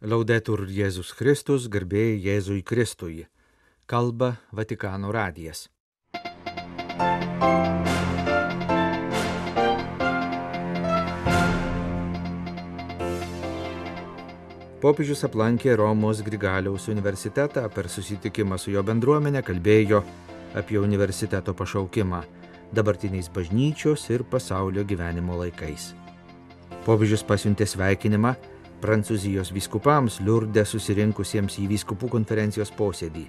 Laudetur Jėzus Kristus, garbė Jėzui Kristui. Kalba Vatikano radijas. Popiežius aplankė Romos Grigaliaus universitetą, per susitikimą su jo bendruomenė kalbėjo apie universiteto pašaukimą dabartiniais bažnyčios ir pasaulio gyvenimo laikais. Popiežius pasiuntė sveikinimą Prancūzijos vyskupams Liurde susirinkusiems į vyskupų konferencijos posėdį.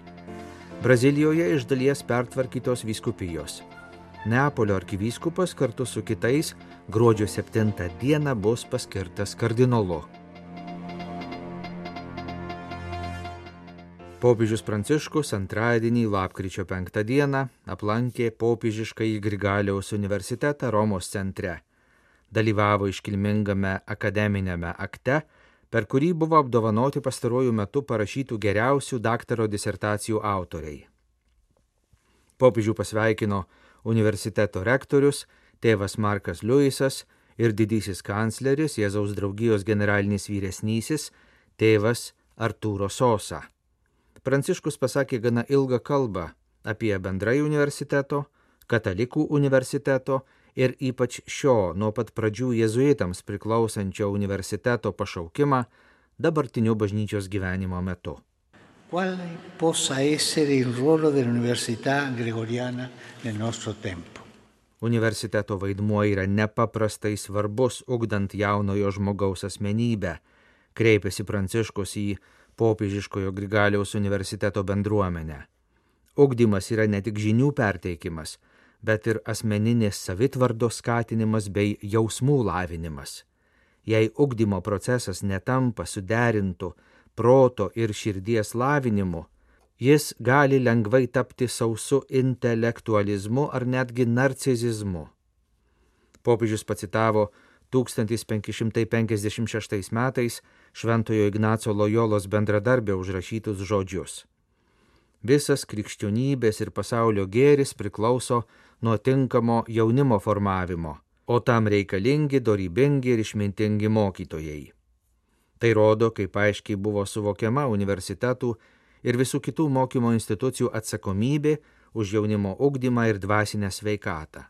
Brazilijoje iš dalies pertvarkytos vyskupijos. Neapolio arkivyskupas kartu su kitais gruodžio 7 dieną bus paskirtas kardinolu. Popiežius Pranciškus antradienį lapkričio 5 dieną aplankė popiežiškąjį Grigaliaus universitetą Romos centre. Dalyvavo iškilmingame akademinėme akte, per kurį buvo apdovanoti pastaruoju metu parašytų geriausių daktaro disertacijų autoriai. Popiežių pasveikino universiteto rektorius, tėvas Markas Liujisas ir didysis kancleris, Jėzaus draugijos generalinis vyresnysis, tėvas Arturo Sosa. Pranciškus pasakė gana ilgą kalbą apie bendrai universiteto, katalikų universiteto ir ypač šio nuo pat pradžių jėzuitams priklausančio universiteto pašaukimą dabartiniu bažnyčios gyvenimo metu. Quale possa essere il ruolo dell'università gregoriana nel nostro tempo? Universiteto vaidmuo yra nepaprastai svarbus, ugdant jaunojo žmogaus asmenybę, kreipėsi Pranciškus į popiežiškojo Grigaliaus universiteto bendruomenę. Ugdymas yra ne tik žinių perteikimas, bet ir asmeninės savitvardos skatinimas bei jausmų lavinimas. Jei ugdymo procesas netampa suderintu proto ir širdies lavinimu, jis gali lengvai tapti sausu intelektualizmu ar netgi narcizizmu. Popiežius pacitavo 1556 metais Šventojo Ignaco Lojolos bendradarbio užrašytus žodžius. Visas krikščionybės ir pasaulio gėris priklauso nuo tinkamo jaunimo formavimo, o tam reikalingi dorybingi ir išmintingi mokytojai. Tai rodo, kaip aiškiai buvo suvokiama universitetų ir visų kitų mokymo institucijų atsakomybė už jaunimo ugdymą ir dvasinę sveikatą.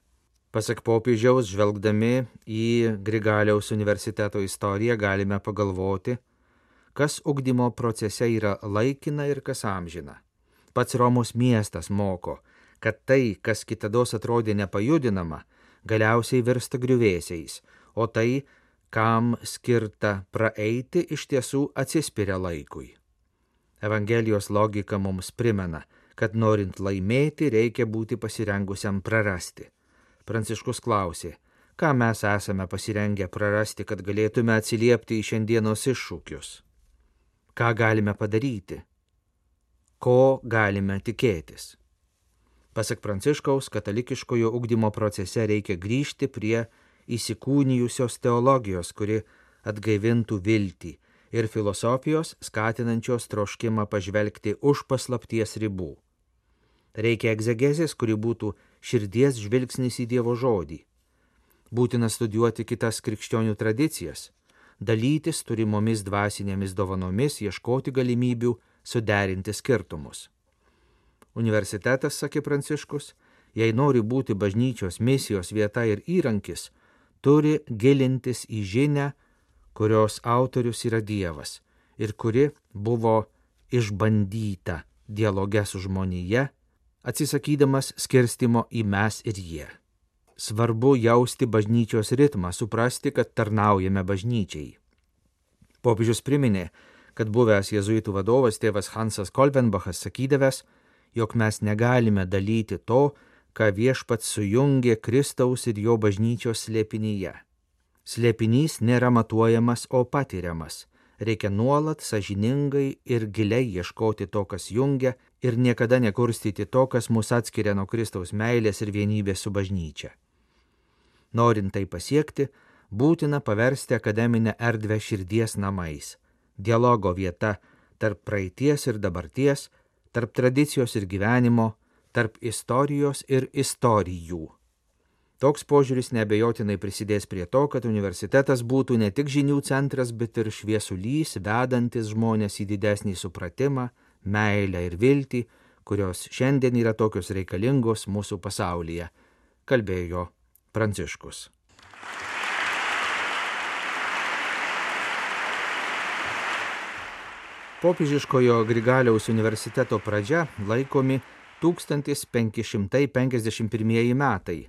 Pasak popiežiaus, žvelgdami į Grigaliaus universiteto istoriją, galime pagalvoti, kas ugdymo procese yra laikina ir kas amžina. Pats Romos miestas moko, kad tai, kas kitados atrodė nepajudinama, galiausiai virsta griuvėsiais, o tai, kam skirta praeiti, iš tiesų atsispiria laikui. Evangelijos logika mums primena, kad norint laimėti, reikia būti pasirengusiam prarasti. Pranciškus klausė, ką mes esame pasirengę prarasti, kad galėtume atsiliepti į šiandienos iššūkius. Ką galime padaryti? Ko galime tikėtis? Pasak Pranciškaus, katalikiškojo ugdymo procese reikia grįžti prie įsikūnijusios teologijos, kuri atgaivintų viltį, ir filosofijos, skatinančios troškimą pažvelgti už paslapties ribų. Reikia egzegezės, kuri būtų širdies žvilgsnis į Dievo žodį. Būtina studijuoti kitas krikščionių tradicijas, dalytis turimomis dvasinėmis dovanomis, ieškoti galimybių suderinti skirtumus. Universitetas, sakė Pranciškus, jei nori būti bažnyčios misijos vieta ir įrankis, turi gilintis į žinią, kurios autorius yra Dievas ir kuri buvo išbandyta dialoge su žmonija, atsisakydamas skirstimo į mes ir jie. Svarbu jausti bažnyčios ritmą, suprasti, kad tarnaujame bažnyčiai. Popiežius priminė, kad buvęs jėzuitų vadovas tėvas Hansas Kolvenbachas sakydavęs, jog mes negalime dalyti to, ką viešpats sujungė Kristaus ir jo bažnyčios slėpinyje. Slėpinys nėra matuojamas, o patiriamas. Reikia nuolat sąžiningai ir giliai ieškoti to, kas jungia, ir niekada nekurstyti to, kas mus atskiria nuo Kristaus meilės ir vienybės su bažnyčia. Norint tai pasiekti, būtina paversti akademinę erdvę širdies namais, dialogo vieta tarp praeities ir dabarties, tarp tradicijos ir gyvenimo, tarp istorijos ir istorijų. Toks požiūris neabejotinai prisidės prie to, kad universitetas būtų ne tik žinių centras, bet ir šviesulys, vedantis žmonės į didesnį supratimą, meilę ir viltį, kurios šiandien yra tokios reikalingos mūsų pasaulyje, kalbėjo Pranciškus. Popiežiškojo Grigaliaus universiteto pradžia laikomi 1551 metai,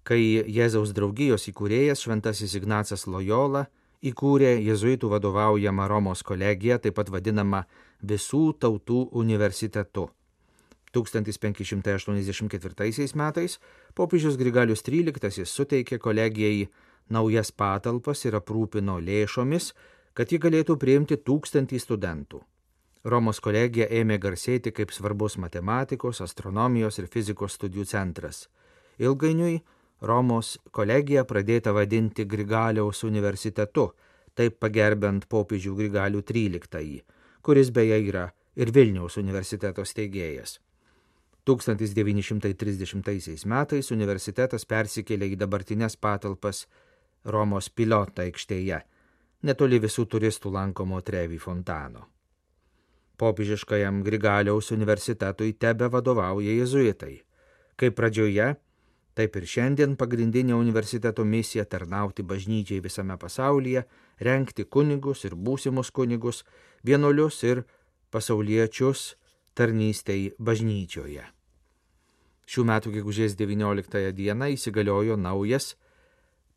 kai Jėzaus draugijos įkūrėjas Šventasis Ignacas Lojola įkūrė jėzuitų vadovaujamą Romos kolegiją, taip pat vadinamą Visų tautų universitetu. 1584 metais popiežius Grigalius XIII suteikė kolegijai naujas patalpas ir aprūpino lėšomis, kad ji galėtų priimti 1000 studentų. Romos kolegija ėmė garsėti kaip svarbus matematikos, astronomijos ir fizikos studijų centras. Ilgainiui Romos kolegija pradėta vadinti Grigaliaus universitetu, taip pagerbent popiežių Grigalių XIII, kuris beje yra ir Vilniaus universiteto steigėjas. 1930 metais universitetas persikėlė į dabartines patalpas Romos Pilota aikštėje, netoli visų turistų lankomo Trevi fontano. Popiežiškajam Grigaliaus universitetui tebe vadovauja jėzuitai. Kaip pradžioje, taip ir šiandien pagrindinė universiteto misija tarnauti bažnyčiai visame pasaulyje, rengti kunigus ir būsimus kunigus, vienuolius ir pasauliečius tarnystei bažnyčioje. Šių metų gegužės 19 dieną įsigaliojo naujas,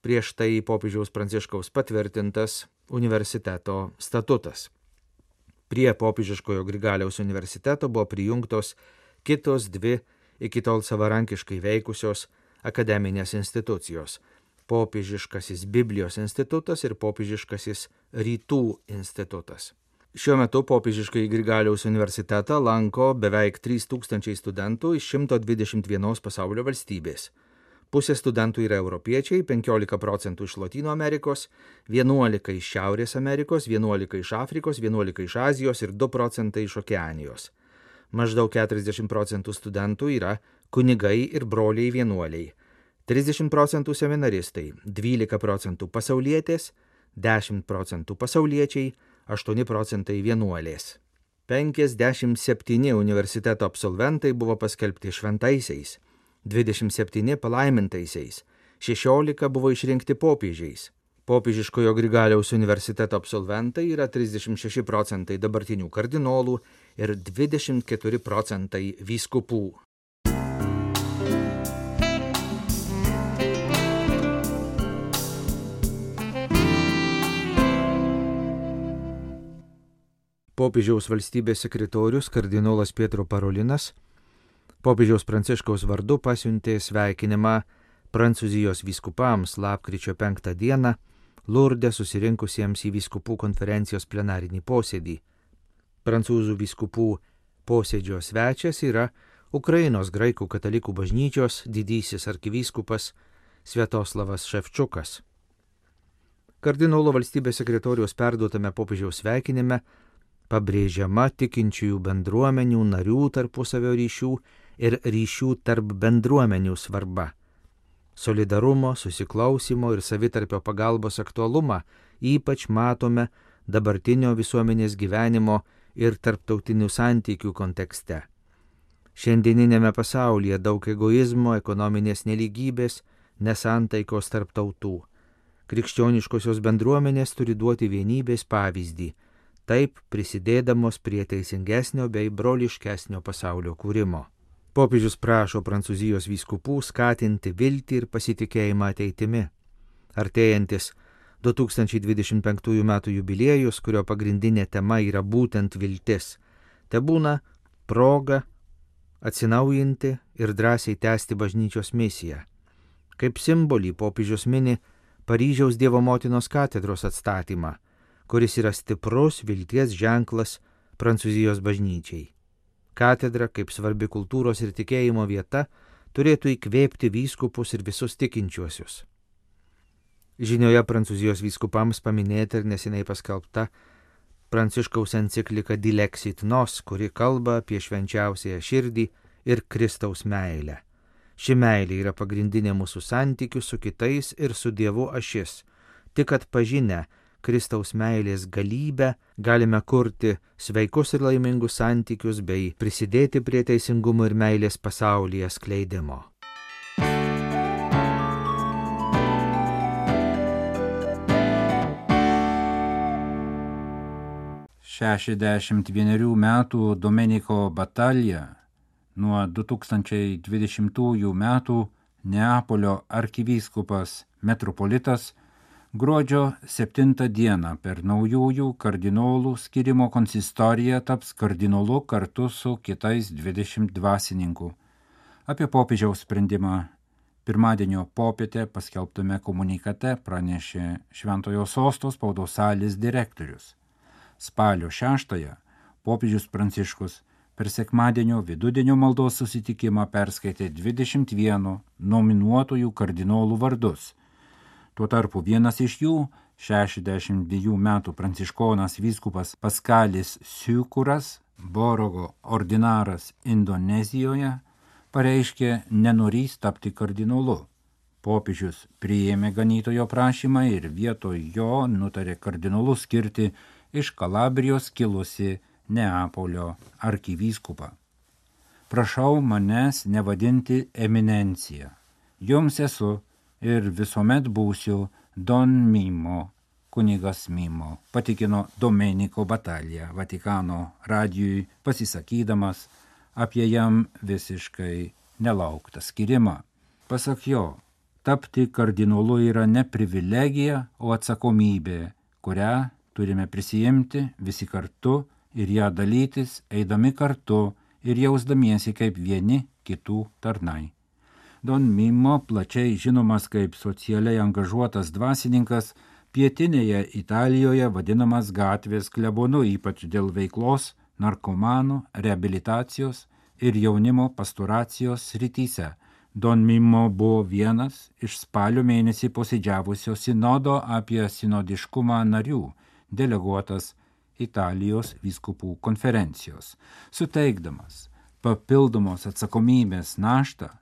prieš tai popiežiaus Pranciškaus patvirtintas universiteto statutas. Prie popiežiškojo Grigaliaus universiteto buvo prijungtos kitos dvi iki tol savarankiškai veikusios akademinės institucijos – Popiežiškasis Biblijos institutas ir Popiežiškasis Rytų institutas. Šiuo metu popiežiškai Grigaliaus universitetą lanko beveik 3000 studentų iš 121 pasaulio valstybės. Pusė studentų yra europiečiai, 15% iš Lotynų Amerikos, 11 iš Šiaurės Amerikos, 11 iš Afrikos, 11 iš Azijos ir 2% iš Okeanijos. Maždaug 40% studentų yra kunigai ir broliai vienuoliai, 30% seminaristai, 12% pasaulietės, 10% pasauliečiai, 8% vienuolės. 57 universiteto absolventai buvo paskelbti šventaisiais, 27 palaimintaisiais, 16 buvo išrinkti popiežiais. Popiežiškojo Grigaliaus universiteto absolventai yra 36% dabartinių kardinolų ir 24% vyskupų. Popiežiaus valstybės sekretorius kardinolas Pietro Parolinas popiežiaus Pranciškaus vardu pasiuntė sveikinimą Prancūzijos vyskupams lapkričio 5 dieną Lurde susirinkusiems į vyskupų konferencijos plenarinį posėdį. Prancūzų vyskupų posėdžio svečias yra Ukrainos graikų katalikų bažnyčios didysis arkivyskupas Sviatoslavas Ševčukas. Kardinolo valstybės sekretoriaus perduotame popiežiaus sveikinime pabrėžiama tikinčiųjų bendruomenių narių tarpusavio ryšių ir ryšių tarp bendruomenių svarba. Solidarumo, susiklausimo ir savitarpio pagalbos aktualumą ypač matome dabartinio visuomenės gyvenimo ir tarptautinių santykių kontekste. Šiandieninėme pasaulyje daug egoizmo, ekonominės nelygybės, nesantaikos tarp tautų. Krikščioniškosios bendruomenės turi duoti vienybės pavyzdį, taip prisidėdamos prie teisingesnio bei broliškesnio pasaulio kūrimo. Popiežius prašo Prancūzijos vyskupų skatinti viltį ir pasitikėjimą ateitimi. Artėjantis 2025 m. jubiliejus, kurio pagrindinė tema yra būtent viltis, tebūna proga atsinaujinti ir drąsiai tęsti bažnyčios misiją. Kaip simbolį popiežius mini Paryžiaus Dievo motinos katedros atstatymą, kuris yra stiprus vilties ženklas Prancūzijos bažnyčiai. Katedra, kaip svarbi kultūros ir tikėjimo vieta, turėtų įkvėpti vyskupus ir visus tikinčiuosius. Žinioje Prancūzijos vyskupams paminėta ir neseniai paskelbta Pranciškaus enciklika Dilexit Nos, kuri kalba apie švenčiausiąją širdį ir Kristaus meilę. Ši meilė yra pagrindinė mūsų santykių su kitais ir su Dievu ašis. Tik atpažinę Kristaus meilės galybę galime kurti sveikus ir laimingus santykius bei prisidėti prie teisingumo ir meilės pasaulyje skleidimo. Šešiasdešimt vienerių metų Domenico Battaglia nuo 2020 metų Neapolio arkivyskupas metropolitas gruodžio 7 dieną per naujųjų kardinolų skirimo konsistoriją taps kardinolu kartu su kitais 20 dvasininkų. Apie popiežiaus sprendimą pirmadienio popietę paskelbtame komunikate pranešė Šventojo Sosto spaudos salės direktorius. Spalio 6 popiežius Pranciškus per sekmadienio vidudienio maldos susitikimą perskaitė 21 nominuotųjų kardinolų vardus. Tuo tarpu vienas iš jų, 62 metų pranciškonas vyskupas Paskalis Siukuras, Borogo ordinaras Indonezijoje, pareiškė nenorįs tapti kardinolu. Popiežius priėmė ganytojo prašymą ir vietoj jo nutarė kardinolu skirti iš Kalabrijos kilusi Neapolio arkivyskupą. Prašau manęs nevadinti eminencija. Jums esu ir visuomet būsiu Don Mimo, kunigas Mimo, patikino Domenico Battaglia Vatikano radijui pasisakydamas apie jam visiškai nelauktą skirimą. Pasak jo, tapti kardinolu yra ne privilegija, o atsakomybė, kurią turime prisijimti visi kartu ir ją dalytis, eidami kartu ir jausdamiesi kaip vieni kitų tarnai. Don Mimo, plačiai žinomas kaip socialiai angažuotas dvasininkas, pietinėje Italijoje vadinamas gatvės klebonu, ypač dėl veiklos narkomanų, reabilitacijos ir jaunimo pastoracijos srityse. Don Mimo buvo vienas iš spalio mėnesį posėdžiavusio sinodo apie sinodiškumą narių, deleguotas Italijos vyskupų konferencijos. Suteikdamas papildomos atsakomybės naštą,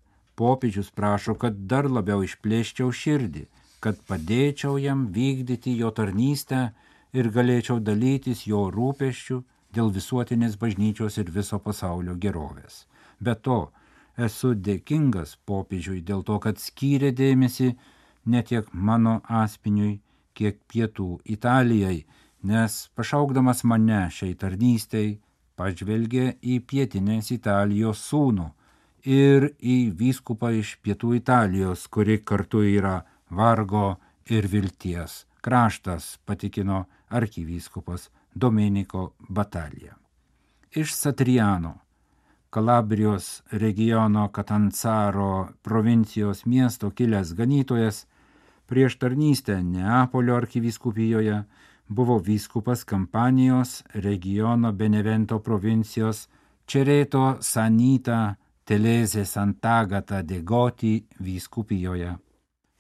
popiežius prašo, kad dar labiau išplėščiau širdį, kad padėčiau jam vykdyti jo tarnystę ir galėčiau dalytis jo rūpesčių dėl visuotinės bažnyčios ir viso pasaulio gerovės. Be to, esu dėkingas popiežiui dėl to, kad skyrė dėmesį ne tiek mano asmeniui, kiek pietų Italijai, nes pašaukdamas mane šiai tarnystei pažvelgė į pietinės Italijos sūnų ir į vyskupą iš pietų Italijos, kuri kartu yra vargo ir vilties kraštas, patikino arkivyskupas Domenico Battaglia. Iš Satriano, Kalabrijos regiono Katanzaro provincijos miesto kilęs ganytojas, prieš tarnystę Neapolio arkivyskupijoje buvo vyskupas Kampanijos regiono Benevento provincijos Čereto Sanita Telese Sant'Agata de Goti vyskupijoje.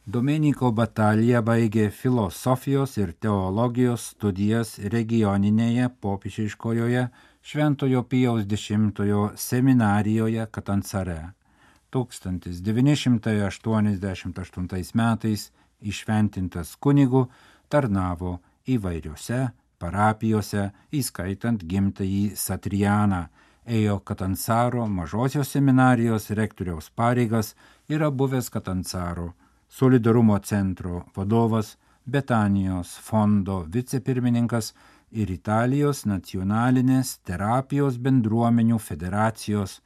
Domenico Battaglia baigė filosofijos ir teologijos studijas regioninėje popiežiškojoje Šventojo Pijaus X seminarijoje Katanzare. 1988 metais įšventintas kunigu tarnavo įvairiose parapijose, įskaitant gimtąjį Satrianą, ėjo Katanzaro mažosios seminarijos rektoriaus pareigas, yra buvęs Katanzaro Solidarumo centro vadovas, Betanijos fondo vicepirmininkas ir Italijos nacionalinės terapijos bendruomenių federacijos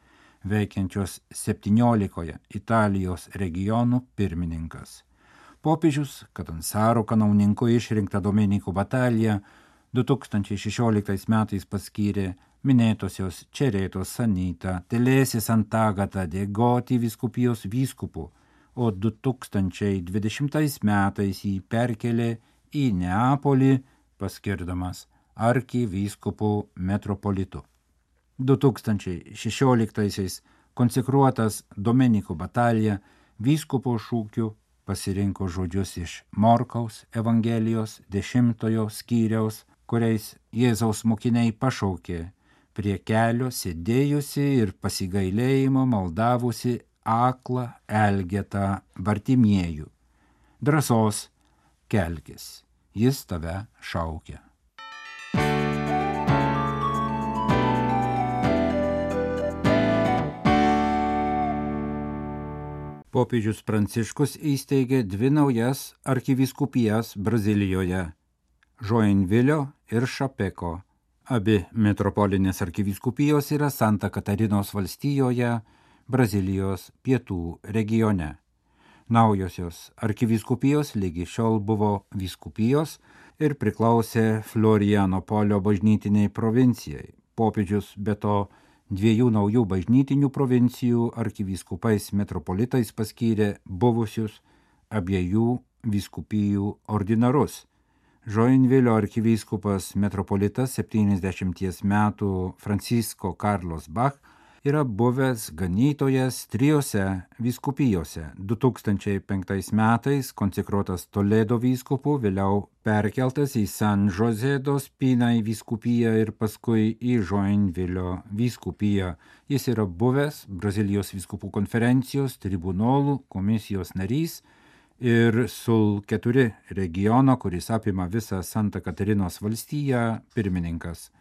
veikiančios 17 Italijos regionų pirmininkas. Popiežius Katanzaro kanauninku išrinktą Domenico Battaglia 2016 metais paskyrė minėtosios Čereto Sanita Telese Sant'Agata de Goti vyskupijos vyskupu, o 2020 metais jį perkelė į Neapolį, paskirdamas arkivyskupu metropolitu. 2016 konsekruotas Domenico Battaglia vyskupo šūkiu pasirinko žodžius iš Morkaus Evangelijos 10 skyriaus, kuriais Jėzaus mokiniai pašaukė prie kelio sėdėjusi ir pasigailėjimo maldavusi aklą, elgetą Bartimiejų. Drąsos, kelkis, jis tave šaukia. Popiežius Pranciškus įsteigė 2 naujas arkivyskupijas Brazilijoje – Joinvilio ir Šapeko. Abi metropolinės arkivyskupijos yra Santa Katarinos valstijoje, Brazilijos pietų regione. Naujosios arkivyskupijos lygi šiol buvo vyskupijos ir priklausė Florianopolio bažnytiniai provincijai. Popiežius be to 2 naujų bažnytinių provincijų arkivyskupais metropolitais paskyrė buvusius abiejų vyskupijų ordinarus. Joinvilio arkivyskupas metropolitas 70 metų Francisco Carlos Bach yra buvęs ganytojas 3 vyskupijose. 2005 metais konsekruotas Toledo vyskupu, vėliau perkeltas į San José dos Pinai vyskupiją ir paskui į Joinvilio vyskupiją. Jis yra buvęs Brazilijos vyskupų konferencijos tribunolų komisijos narys ir Sul 4 regiono, kuris apima visą Santa Katarinos valstiją, pirmininkas.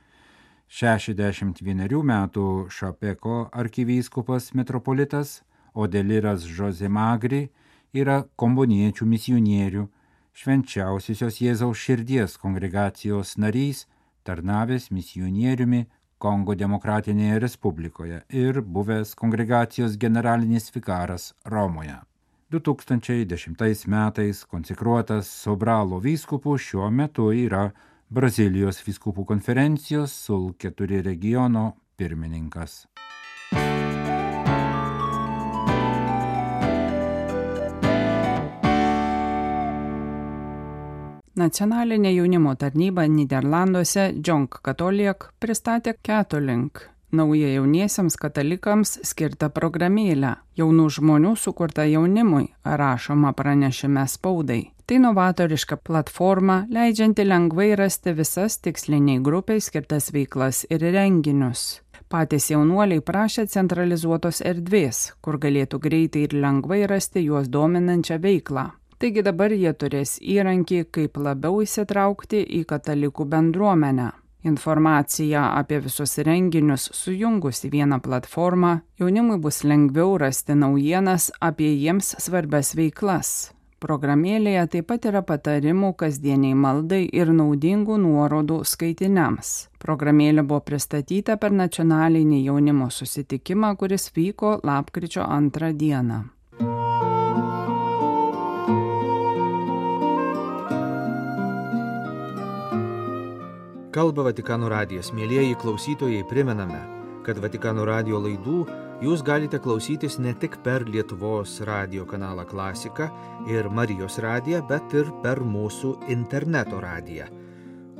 61 metų Šapeko arkivyskupas metropolitas Odeliras José Magri yra komboniečių misionierių, švenčiausiosios Jėzaus širdies kongregacijos narys, tarnavęs misionieriumi Kongo Demokratinėje Respublikoje ir buvęs kongregacijos generalinis vikaras Romoje. 2010 metais konsekruotas Sobralo vyskupu, šiuo metu yra Brazilijos vyskupų konferencijos Sul 4 regiono pirmininkas. Nacionalinė jaunimo tarnyba Niderlanduose Jonk Katoliek pristatė Catolink, naują jauniesiams katalikams skirtą programėlę, jaunų žmonių sukurta jaunimui, rašoma pranešime spaudai. Tai novatoriška platforma, leidžianti lengvai rasti visas tiksliniai grupiai skirtas veiklas ir renginius. Patys jaunuoliai prašė centralizuotos erdvės, kur galėtų greitai ir lengvai rasti juos dominančią veiklą. Taigi dabar jie turės įrankį, kaip labiau įsitraukti į katalikų bendruomenę. Informaciją apie visus renginius sujungus į vieną platformą, jaunimui bus lengviau rasti naujienas apie jiems svarbias veiklas. Programėlėje taip pat yra patarimų kasdieniai maldai ir naudingų nuorodų skaitiniams. Programėlė buvo pristatyta per nacionalinį jaunimo susitikimą, kuris vyko lapkričio 2 dieną. Kalba Vatikano radijas. Mielieji klausytojai, primename, kad Vatikano radijo laidų jūs galite klausytis ne tik per Lietuvos radijo kanalą Klasika ir Marijos radiją, bet ir per mūsų interneto radiją,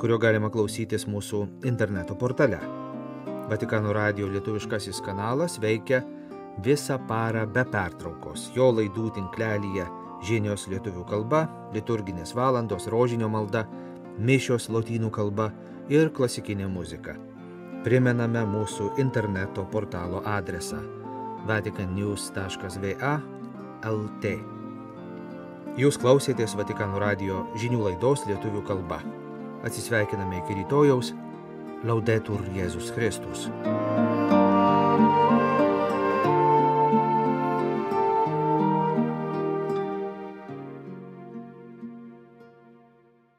kurio galima klausytis mūsų interneto portale. Vatikano radijo lietuviškasis kanalas veikia visą parą be pertraukos. Jo laidų tinklelyje žinios lietuvių kalba, liturginės valandos, rožinio malda, mišios lotynų kalba ir klasikinė muzika. Primename mūsų interneto portalo adresą vaticannews.va/lt. Jūs klausėtės Vatikano radijo žinių laidos lietuvių kalba. Atsisveikiname iki rytojaus. Laudetur Jėzus Kristus.